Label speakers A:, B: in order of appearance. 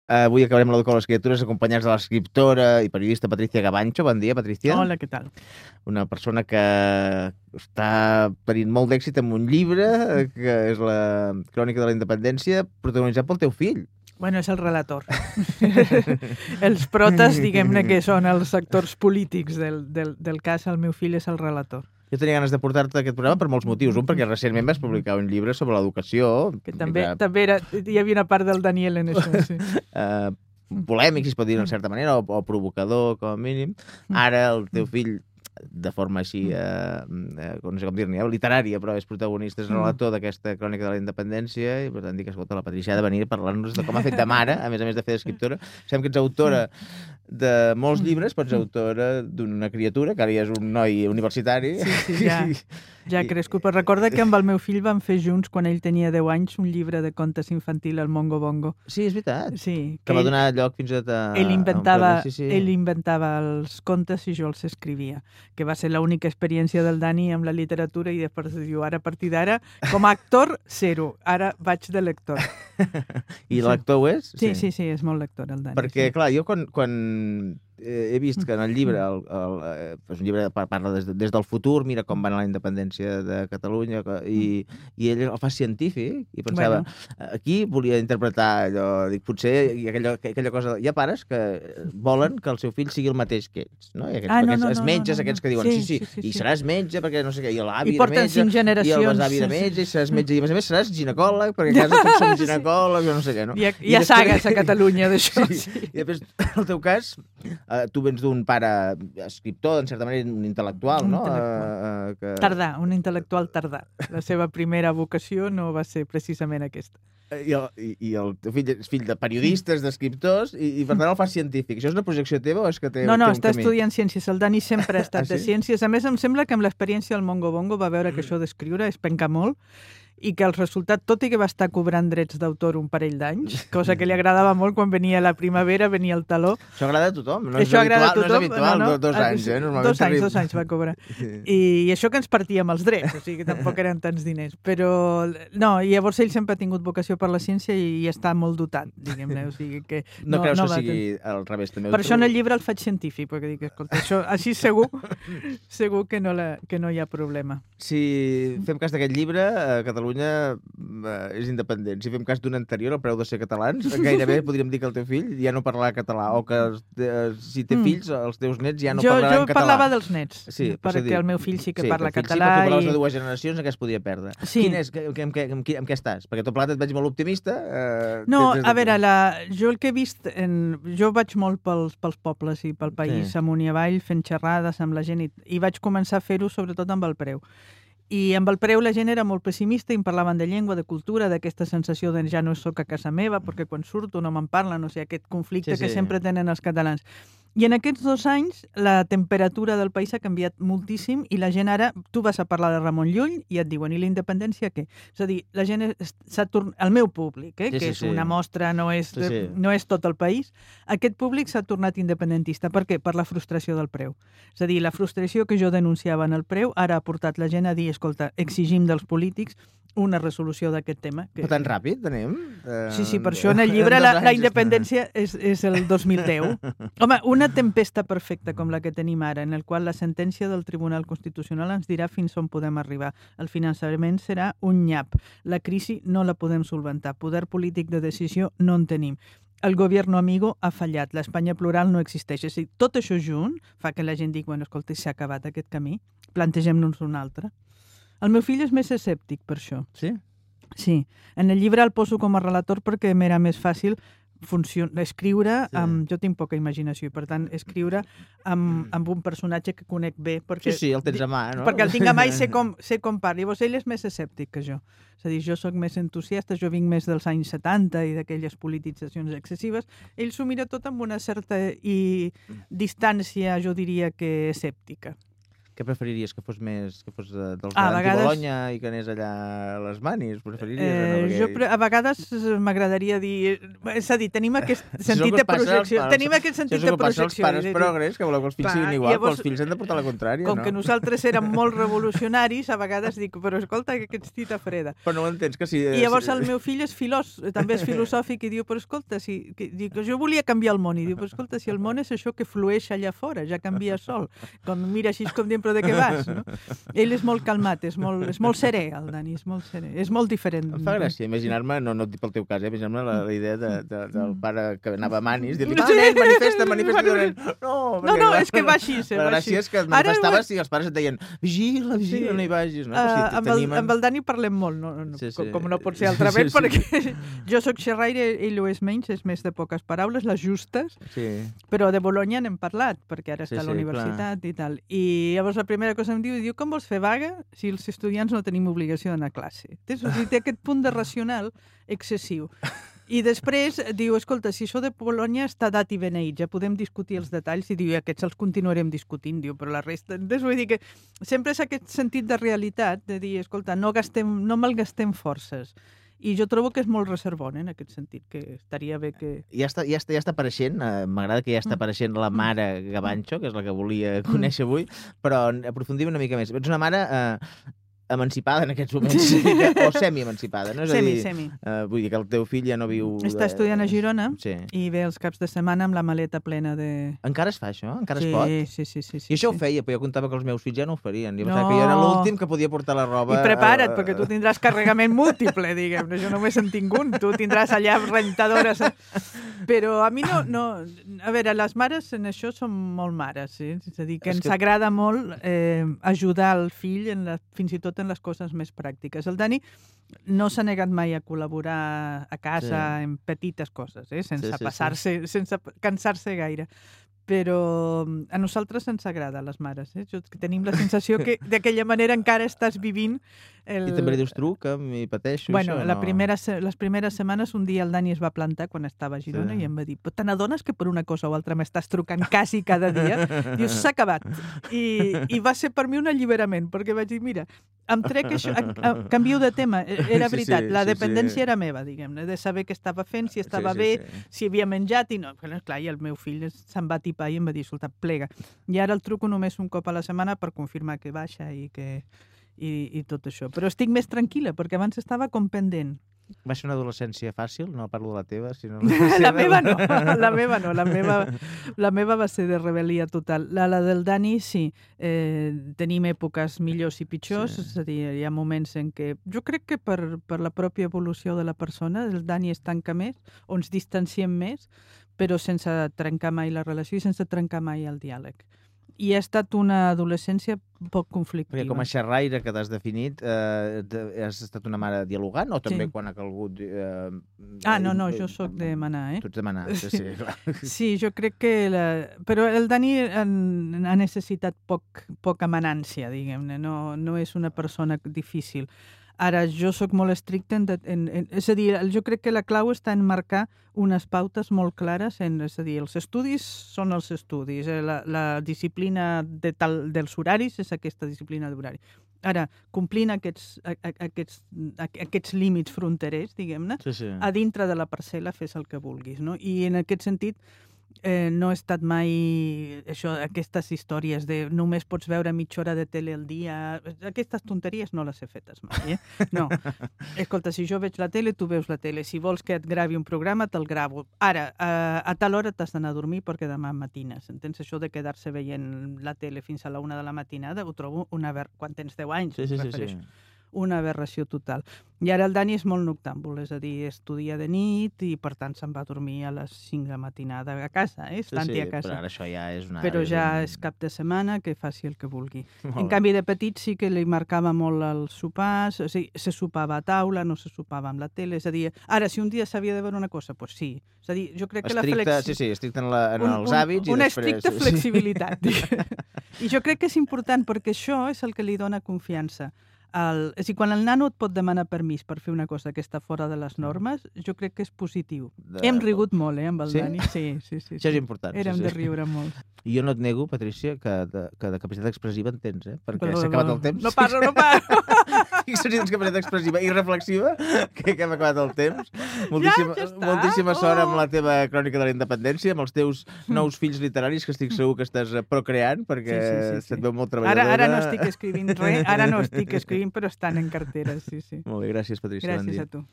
A: Avui acabarem l'Educació de les Criatures acompanyats de l'escriptora i periodista Patricia Gavancho. Bon dia, Patricia.
B: Hola, què tal?
A: Una persona que està tenint molt d'èxit amb un llibre, que és la Crònica de la Independència, protagonitzat pel teu fill.
B: Bueno, és el relator. Els protes, diguem-ne, que són els actors polítics del cas. El meu fill és el relator.
A: Jo tenia ganes de portar-te a aquest programa per molts motius. Un, perquè recentment vas publicar un llibre sobre l'educació.
B: Que també hi havia una part del Daniel en això, sí.
A: Polèmic, si es pot dir d'una certa manera, o provocador, com a mínim. Ara el teu fill, de forma així, no sé com dir-ne, literària, però és protagonista, és relator d'aquesta Crònica de la Independència, i per tant dic, escolta, la Patricia ha de venir a parlar-nos de com ha fet de mare, a més de fer d'escriptora. Sabem que ets autora de molts llibres, però ets autora d'una criatura, que ara ja és un noi universitari.
B: Sí, ja ha crescut. Però recorda que amb el meu fill vam fer junts, quan ell tenia 10 anys, un llibre de contes infantil, el Mongo Bongo.
A: Sí, és veritat.
B: Sí,
A: que va donar lloc fins i tot a...
B: Ell inventava els contes i jo els escrivia, que va ser l'única experiència del Dani amb la literatura, i després diu, ara a partir d'ara, com a actor, zero. Ara vaig de lector.
A: I l'actor ho és?
B: Sí, és molt lector el Dani.
A: Perquè, clar, jo quan he vist que en el llibre, és un llibre que parla des del futur, mira com va anar la independència de Catalunya, i ell el fa científic, i pensava, aquí volia interpretar allò, dic, potser aquella cosa... Hi ha pares que volen que el seu fill sigui el mateix que ells, no? I aquests metges, aquests que diuen, sí, i seràs metge, perquè no sé què, i l'avi de metge, i el besavi de metge, i seràs metge, i a més seràs ginecòleg, perquè a casa tots som ginecòlegs, o no sé què, no?
B: Hi ha sagues a Catalunya d'això.
A: I després, en el teu cas, tu vens d'un pare escriptor, en certa manera, un intel·lectual, no?
B: Tardà, un intel·lectual tardà. La seva primera vocació no va ser precisament aquesta.
A: I el teu fill és fill de periodistes, d'escriptors, i per tant el fa científic. Això és una projecció teva o és que té un camí?
B: No, està estudiant ciències. El Dani sempre ha estat de ciències. A més, em sembla que amb l'experiència del Mongo Bongo va veure que això d'escriure és pencar molt, i que el resultat, tot i que va estar cobrant drets d'autor un parell d'anys, cosa que li agradava molt quan venia la primavera, venia el taló.
A: Això agrada a tothom, no és habitual, no. 2 anys, normalment.
B: 2 anys va cobrar. I això que ens partíem els drets, o sigui que tampoc eren tants diners. Però, no, i llavors ell sempre ha tingut vocació per la ciència i està molt dotat, diguem-ne, o sigui que...
A: No creus que sigui al revés, també?
B: Per això en el llibre el faig científic, perquè dic, escolta, això així segur que no hi ha problema.
A: Si fem cas d'aquest llibre, Catalunya és independent. Si fem cas d'un anterior, el preu de ser catalans, gairebé podríem dir que el teu fill ja no parlarà català, o que si té fills, els teus nets ja no parlaran català.
B: Jo parlava dels nets,
A: sí,
B: perquè el meu fill sí que parla català.
A: Sí, perquè parlaves de 2 generacions, en què es podia perdre.
B: Sí.
A: En què estàs? Perquè tot plegat et veig molt optimista.
B: No, a veure, jo el que he vist... Jo vaig molt pels pobles i pel país, amunt i avall, fent xerrades amb la gent, i vaig començar a fer-ho sobretot amb el preu. I amb el preu la gent era molt pessimista i em parlaven de llengua, de cultura, d'aquesta sensació de ja no soc a casa meva perquè quan surto no me'n parlen, o sigui, aquest conflicte que sempre tenen els catalans. I en aquests 2 anys la temperatura del país ha canviat moltíssim i la gent ara, tu vas a parlar de Ramon Llull i et diuen, i la independència què? És a dir, la gent s'ha tornat, el meu públic, que és una mostra, no és tot el país, aquest públic s'ha tornat independentista. Per què? Per la frustració del preu. És a dir, la frustració que jo denunciava en el preu ara ha portat la gent a dir, escolta, exigim dels polítics una resolució d'aquest tema.
A: Però tan ràpid anem?
B: Sí, per això en el llibre la independència és el 2010. Home, una tempesta perfecta com la que tenim ara, en el qual la sentència del Tribunal Constitucional ens dirà fins on podem arribar. El finançament serà un nyap. La crisi no la podem solventar. Poder polític de decisió no en tenim. El gobierno amigo ha fallat. L'Espanya plural no existeix. És a dir, tot això junt fa que la gent digui, bueno, escolta, s'ha acabat aquest camí, plantegem-nos un altre. El meu fill és més escèptic per això.
A: Sí?
B: Sí. En el llibre el poso com a relator perquè m'era més fàcil escriure amb... Jo tinc poca imaginació i, per tant, escriure amb un personatge que conec bé. Perquè,
A: sí, el tens a mà, no?
B: Perquè el tinc a mà i sé com parla. Llavors, ell és més escèptic que jo. És a dir, jo sóc més entusiasta, jo vinc més dels anys 70 i d'aquelles polititzacions excessives. Ell s'ho mira tot amb una certa distància, jo diria que escèptica.
A: Què preferiries? Que fos dels d'Anti-Bologna i que anés allà a les Manis? Preferiries?
B: A vegades m'agradaria dir... És a dir, tenim aquest sentit de projecció. Tenim aquest sentit de projecció.
A: Això és el que passa als pares progres, que voleu que els fills siguin igual, però els fills han de portar la contrària, no?
B: Com que nosaltres érem molt revolucionaris, a vegades dic, però escolta, que ets tita freda.
A: Però no ho entens, que si...
B: I llavors el meu fill és també és filosòfic i diu, però escolta, dic, jo volia canviar el món, i diu, però escolta, si el món és això que flueix allà fora, ja canvia sol. Quan mira així com dient, però de què vas, no? Ell és molt calmat, és molt serè, el Dani, és molt serè. És molt diferent.
A: Em fa gràcia imaginar-me, no et dic pel teu cas, imaginar-me la idea del pare que anava a Manis, dir-li, nen, manifesta,
B: no, és que va així.
A: La gràcia és que et manifestaves i els pares et deien, vigila, no hi vagis.
B: Amb el Dani parlem molt, com no pot ser altrament, perquè jo sóc xerraire, ell ho és menys, és més de poques paraules, les justes, però de Bologna n'hem parlat, perquè ara està a la universitat i tal. I llavors la primera cosa em diu, com vols fer vaga si els estudiants no tenim obligació d'anar a classe? Té aquest punt de racional excessiu. I després diu, escolta, si això de Bologna està dat i beneït, ja podem discutir els detalls, i diu, aquests els continuarem discutint, diu, però la resta... Entonces, vull dir que sempre és aquest sentit de realitat, de dir, escolta, no malgastem forces. I jo trobo que és molt reservon, en aquest sentit, que estaria bé que...
A: Ja està apareixent, m'agrada que ja està apareixent la mare Gabancho, que és la que volia conèixer avui, però aprofundim una mica més. Ets una mare emancipada en aquests moments, o semi-emancipada, no? És a dir,
B: semi.
A: Vull dir que el teu fill ja no viu...
B: Està estudiant a Girona i ve els caps de setmana amb la maleta plena de...
A: Encara es fa això? Encara es pot?
B: Sí.
A: I això ho feia, però jo comptava que els meus fills ja no ho farien. Jo pensava que jo era l'últim que podia portar la roba...
B: I prepara't, perquè tu tindràs carregament múltiple, diguem. Jo només en tinc un. Tu tindràs allà rentadores... Però a mi no... A veure, les mares en això són molt mares, és a dir, que ens agrada molt ajudar el fill fins i tot en les coses més pràctiques. El Dani no s'ha negat mai a col·laborar a casa en petites coses, sense cansar-se gaire. Però a nosaltres ens agrada, les mares. Tenim la sensació que d'aquella manera encara estàs vivint...
A: I també li dius truca'm i pateixo
B: això? Les primeres setmanes un dia el Dani es va plantar quan estava a Girona i em va dir, però te n'adones que per una cosa o altra m'estàs trucant quasi cada dia? Dius, s'ha acabat. I va ser per mi un alliberament, perquè vaig dir, mira, em trec això, canvio de tema. Era veritat, la dependència era meva, diguem-ne, de saber què estava fent, si estava bé, si havia menjat i no. Clar, i el meu fill se'n va tipar i em va dir, escolta, plega. I ara el truco només un cop a la setmana per confirmar que baixa i tot això. Però estic més tranquil·la, perquè abans estava com pendent.
A: Va ser una adolescència fàcil? No parlo de la teva, sinó...
B: La meva no. La meva va ser de rebel·lia total. La del Dani, sí. Tenim èpoques millors i pitjors, és a dir, hi ha moments en què... Jo crec que per la pròpia evolució de la persona, el Dani es tanca més, o ens distanciem més, però sense trencar mai la relació i sense trencar mai el diàleg. I ha estat una adolescència poc conflictiva.
A: Perquè com a xerraire que t'has definit, has estat una mare dialogant o també quan ha calgut...
B: No, jo sóc de manar,
A: Tu ets de manar, sí, clar.
B: Sí, jo crec que... Però el Dani ha necessitat poca manància, diguem-ne, no és una persona difícil. Ara, jo sóc molt estricta és a dir, jo crec que la clau està en marcar unes pautes molt clares, és a dir, els estudis són els estudis, la disciplina dels horaris és aquesta disciplina d'horari. Ara, complint aquests límits fronterers, diguem-ne, a dintre de la parcel·la fes el que vulguis, no? I en aquest sentit, no he estat mai aquestes històries de només pots veure mitja hora de tele al dia. Aquestes tonteries no les he fetes mai, No. Escolta, si jo veig la tele, tu veus la tele. Si vols que et gravi un programa, te'l gravo. Ara, a tal hora t'has d'anar a dormir perquè demà matines. Entens? Això de quedar-se veient la tele fins a la 1 de la matinada ho trobo quan tens 10 anys.
A: Sí.
B: Una aberració total. I ara el Dani és molt noctàmbul, és a dir, estudia de nit i per tant se'n va a dormir a les 5 de la matinada a casa, a casa.
A: Però ara això ja és una...
B: Però ja és cap de setmana, que faci el que vulgui. En canvi, de petit sí que li marcava molt els sopars, o sigui, se sopava a taula, no se sopava amb la tele, és a dir, ara, si un dia s'havia de veure una cosa, doncs sí. És a dir, jo crec que
A: estricte en els hàbits i després...
B: Una estricta flexibilitat. I jo crec que és important perquè això és el que li dona confiança És a dir, quan el nano et pot demanar permís per fer una cosa que està fora de les normes, jo crec que és positiu. Hem rigut molt, amb el Dani. Sí.
A: Això és important.
B: Érem de riure molt.
A: I jo no et nego, Patrícia, que de capacitat expressiva en tens, perquè s'ha acabat el temps.
B: No parlo.
A: Tinc sessions de capacitat expressiva i reflexiva, que hem acabat el temps. Moltíssima sort amb la teva crònica de la independència, amb els teus nous fills literaris, que estic segur que estàs procreant, perquè se't veu molt treballadora.
B: Ara no estic escrivint res, però estan en cartera, sí.
A: Molt bé, gràcies, Patrícia.
B: Gràcies a tu.